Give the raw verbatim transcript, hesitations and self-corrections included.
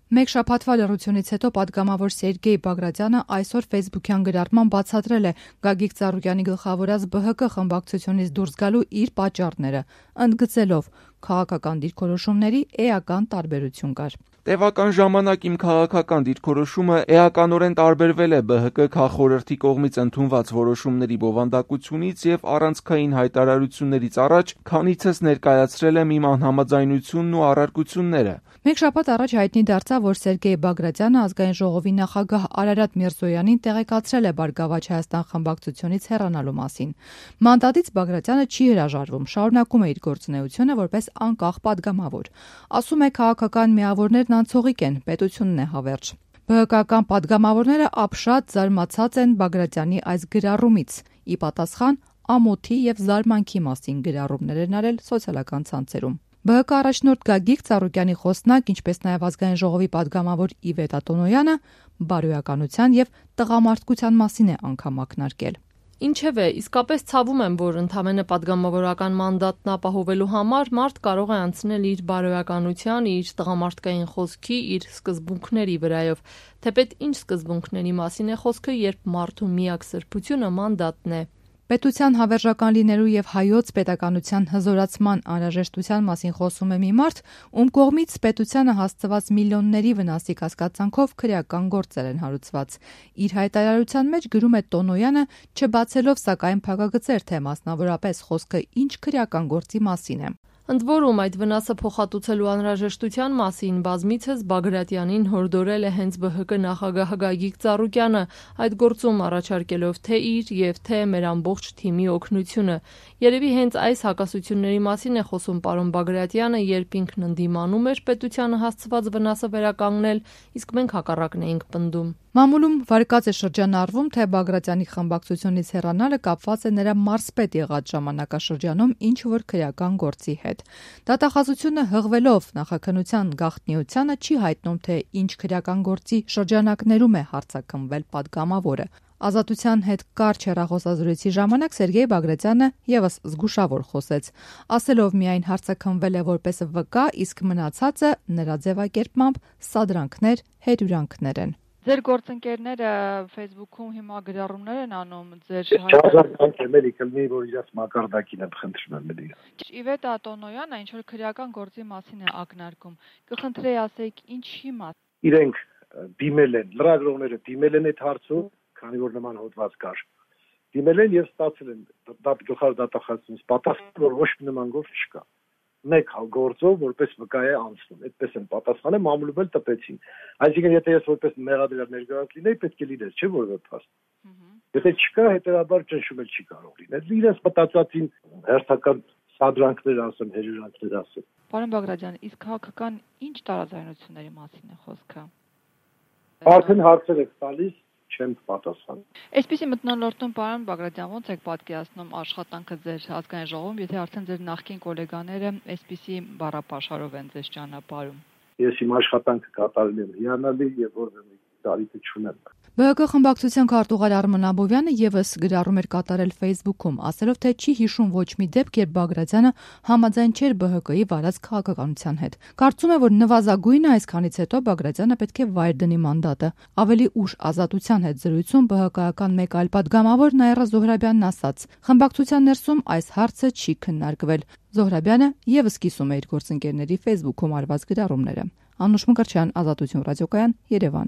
Մեկ շաբաթվա լռությունից հետո պատգամավոր Սերգեյ Բագրատյանը այսօր ֆեյսբուքյան գրառման բացատրել է Գագիկ Ծառուկյանի գլխավորած B H K խմբակցությունից դուրս գալու իր պատճառները, ընդգծելով քաղաքական դիրքորոշումների էական տարբերություն կար։ Տևական ժամանակ իմ քաղաքական դիրքորոշումը էականորեն տարբերվել է B H K քաղխորհրդի կողմից ընդունված որոշումների բովանդակությունից եւ առանցքային հայտարարություններից առաջ, քանիցս ներկայացրել եմ իմ անհամաձայնությունն ու առարկությունները։ Մեկ շաբաթ առաջ հայտնի դարձավ, որ Սերգեյ Բագրատյանը ազգային ժողովի նախագահ Արարատ Միրզոյանին տեղեկացրել է Բարգավաճ Հայաստան խմբակցությունից հեռանալու մասին։ Մանդատից Բագրատյանը չի հրաժարվում, շարունակում է իր գործունեությունը որպես անկախ պատգամավոր։ Ասում է, քաղաքական միավորներն անցողիկ են, պետությունն է հավերժ։ B H K-ական պատգամավորները ապշած զարմացած են Բագրատյանի այս գրառումից։ Ի պատասխան ամոթի եւ զարմանքի մասին գրառումներ են արել սոցիալական ցանցերում։ B H K առաջնորդ Գագիկ Ծառուկյանի խոսնակ, ինչպես նաև ազգային ժողովի պատգամավոր Իվետ Ատոնոյանը բարոյականության եւ տղամարդկության մասին է անգամ ակնարկել։ Ինչևէ, իսկապես ցավում եմ, որ ընդամենը պատգամավորական մանդատն ապահովելու համար մարդ կարող է անցնել իր բարոյականության, իր տղամարդկային խոսքի, իր սկզբունքների վրայով, թեպետ ինչ սկզբունքների մասին է խոսքը, երբ մարդու միակ սրբությունը մանդատն է։ Պետության հավերժական լինելու եւ հայոց պետականության հզորացման անհրաժեշտության մասին խոսում է մի մարդ, ում կողմից պետությանը հասցված միլիոնների վնասի կասկածանքով քրեական գործեր են հարուցված։ Իր հայտարարության մեջ գրում է Տոնոյանը, չբացելով սակայն փակագծեր, թե մասնավորապես խոսքը ինչ քրեական գործի մասին է։ Ընդ որում այդ վնասը փոխհատուցելու անհրաժեշտության մասին բազմիցս Բագրատյանին հորդորել է հենց B H K նախագահ Գագիկ Ծառուկյանը, այդ գործում առաջարկելով թե իր եւ թե մեր ամբողջ թիմի օգնությունը։ Երևի հենց այս հակասությունների մասին է խոսում պարոն Բագրատյանը, երբ ինքն ընդդիմանում էր պետությանը հասցված վնասը վերականգնել, իսկ մենք հակառակն էինք պնդում։ Մամուլում վարկած է շրջանառվում, թե Բագրատյանի խմբակցությունից հեռանալը կապված է նրա մարզպետ եղած ժամանակաշրջանում ինչ որ քրեական գործի հետ։ Դատախազությունը հղվելով նախաքննության գաղտնիությանը չի հայտնում, թե ինչ քրեական գործի շրջանակներում է հարձակմվել պատգամավորը։ Ազատության հետ կարճ հեռախոսազրույցի ժամանակ Սերգեյ Բագրատյանը եւս զգուշավոր խոսեց, ասելով միայն հարձակմվել է որպես վկա, իսկ մնացածը նրա ձևակերպմամբ սադրանքներ, հերյուրանքներ են։ Ձեր գործընկերները Facebook-ում հիմա գրառումներ են անում ձեր հայտարարությունից էլի կլինի, որ իրաց մակարդակին եմ խնդրում եմ էլի։ Իվետ Ատոնոյանը ինչ որ քրեական գործի մասին է ակնարկում։ Կխնդրեի ասեք ինչի մաս։ Իրենք դիմել են, լրագրողները դիմել են այդ հարցում, քանի որ նման հոդված կար։ Դիմել են եւ ստացել են գլխավոր դատախազությունից պատասխան, որ ոչ մի նման գործ չկա։ Մեկ գործով որպես վկա է անցնում, այդպես են պատասխանել, մամուլում էլ տպեցին։ Այսինքն եթե ես որպես մեղադրյալ ներկայացած լինեի, պետք է լիներ, չէ՞ որևէ փաստ։ Եթե չկա, հետեւաբար ճնշում էլ չի կարող լինել։ Իրենց մտածածին հերթական սադրանքներ ասեն, հերյուրանքներ ասեն։ Պարոն Բագրատյան, իսկ քաղաքական ինչ տարաձայնությունների մասին է խոսքը։ Արդեն հարցեր եք տալիս, չեմ պատասխան։ Այսպեսի մթնոլորտում պարոն Բագրատյան, ո՞նց եք պատկերացնում աշխատանքը ձեր ազգային ժողովում, եթե արդեն ձեր նախկին գոլեգաները այսպեսի բառապաշարով են ձեզ ճանապարհում։ Ես իմ աշխատանքը կատարել եմ հիանալի եւ որևէ տարիքը չունեմ։ B H K խմբակցության քարտուղար Արմեն Աբովյանը եւս գրառում էր կատարել Facebook-ում, ասելով, թե չի հիշում ոչ մի դեպք, երբ Բագրատյանը համաձայն չէր B H K-ի վարած քաղաքականության հետ։ Կարծում է, որ նվազագույնը այսքանից հետո Բագրատյանը պետք է վայր դնի մանդատը։ Ավելի ուշ Ազատության հետ զրույցում B H K-ական մեկ այլ պատգամավոր Նաիրա Զոհրաբյանն ասաց. խմբակցության ներսում այս հարցը չի քննարկվել։ Զոհրաբյանը եւս կիսում է իր գործընկերների Facebook-ում արված գրառումները։ Անուշ Մկրտչյան, Ազատություն ռադիոկայան, Երևան։